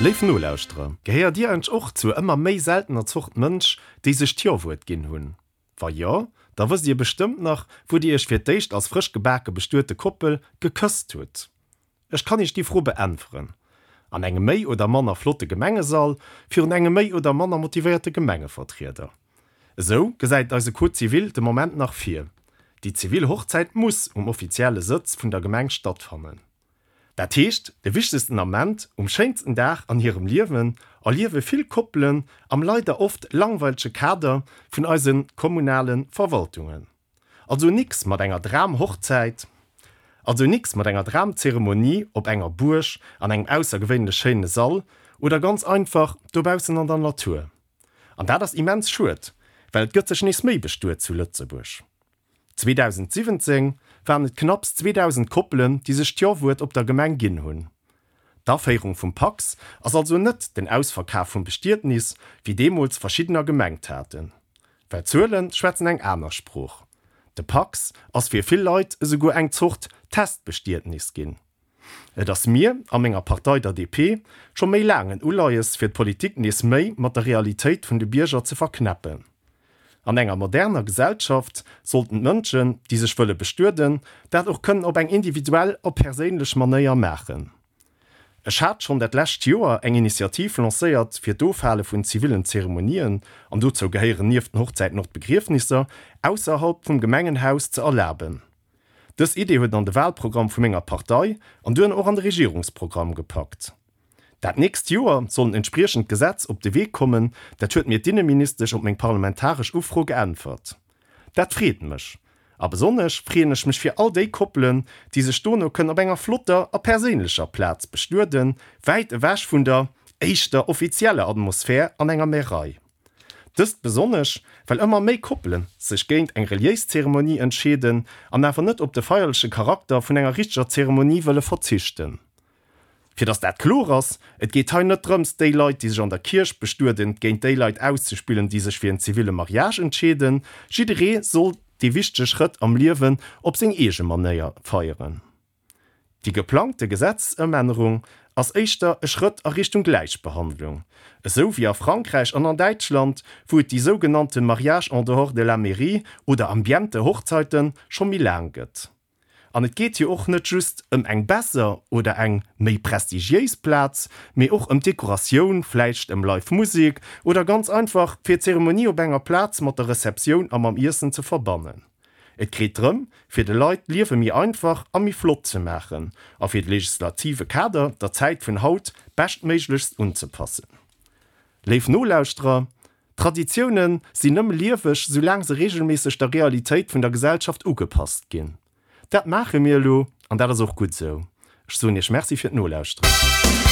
Léif Nolauschterer, gehéiert Dir eigentlech och zur ëmmer méi seltener Zort Mënsch, déi sech d'Jo-Wuert ginn hunn? Wa jo, da wësst Dir bestëmmt nach, wou Dir Iech fir d'éischt als frësch gebake bestuete Koppel gekësst hutt. Ech kann Iech déi Fro beäntweren, An engem méi oder manner flotte Gemengesall, virun engem méi oder manner motivéierte Gemengevertrieder. Esou gesäit et eise Code civil de Moment nach vir. Déi zivil Hochzäit muss um offizielle Sëtz vun der Gemeng stattfannen. Dat heescht, de wichtegsten Ament um schéinsten Dag an hirem Liewen erliewe vill Koppelen am leider oft langweilege Kader vun eise kommunale Verwaltungen. Also nix mat enger Dram-Hochzäit, also nix mat enger Dram-Zeremonie op enger Buerg, an engem aussergewéinlech schéine Sall oder ganz einfach dobaussen an der Natur. An dat ass immens schued, well et gëtt sech nees méi bestuet zu Lëtzebuerg. 2017 waren et knapps 2.000 Koppelen, déi sech d'Jo-Wuert op der Gemeng ginn hunn. D'Aféierung vum Pacs ass also net den Ausverkaf vum Bestietnis, wéi deemools verschiddener gemengt haten. Well d'Zuele schwätzen eng aner Sprooch. De Pacs ass fir vill Leit esouguer eng Zort Testbestietnis ginn. Et ass mir a menger Partei, der DP, scho méi laang en Uleies fir d'Politik nees méi mat der Realitéit vun de Bierger ze verknäppen. An enger moderner Gesellschaft sollten d'Mënschen, déi sech wëlle bestueden, dat och kënnen op eng individuell a perséinlech Manéier maachen. Ech hat schonn dat lescht Joer eng Initiativ lancéiert fir d'Ofhale vun zivillen Zeremonien, an dozou gehéieren nieft den Hochzäiten och d'Begriefnisser, ausserhalb vum Gemengenhaus ze erlaben. Dës Idee huet an de Wahlprogramm vu menger Partei an duerno och an de Regierungsprogramm gepackt. Dat nächst Joer soll en entspriechend Gesetz op de Wee kommen, dat huet mir d'Inneministesch op meng parlamentaresch Ufro geäntwert. Dat freet mech. A besonnesch freeën ech mech fir all déi Koppelen, déi sech dono kënnen op enger flotter a perséinlecher Plaz bestueden, wäit ewech vun der éischter offizieller Atmosphär an enger Märei. Dëst besonnesch, well ëmmer méi Koppele sech géint eng reliéis Zeremonie entscheeden an awer net op de feierleche Charakter vun enger richteger Zeremonie wëlle verzichten. Fir dass dat kloer ass, Et geet hei net drëms, déi Leit, déi sech an der Kierch bestueden, géint déi Leit auszespillen, déi sech fir en ziville Mariage entscheeden. Jidderee soll dee wichtege Schrëtt am Liewen op seng eege Manéier feieren. Déi geplangte Gesetzesëmännerung ass éischter e Schrëtt a Richtung Gläichbehandlung, esou wéi a Frankräich an an Däitschland, wou et déi sougenannte Mariages en dehors de la mairie oder Ambiente-Hochzeiten scho méi laang gëtt. An et geet jo och net just ëm eng besser oder eng méi prestigiéis Plaz, mee och ëm d'Dekoratioun, vläicht ëm live Musek oder ganz einfach fir d'Zeremonie op enger Plaz mat der Receptioun a mam Iessen ze verbannen. Et geet drëm, fir de Leit d'Liewe méi einfach a méi flott ze maachen a fir de legislative Kader der Zäit vun haut beschtméiglechst unzepassen. Léif Nolauschterer, Traditioune sinn nëmme lieweg, soulaang se reegelméisseg der Realitéit vun der Gesellschaft ugepasst ginn. Dat maache mir elo, an dat ass och gutt esou. Ech soen Iech Merci fir d'Nolauschteren.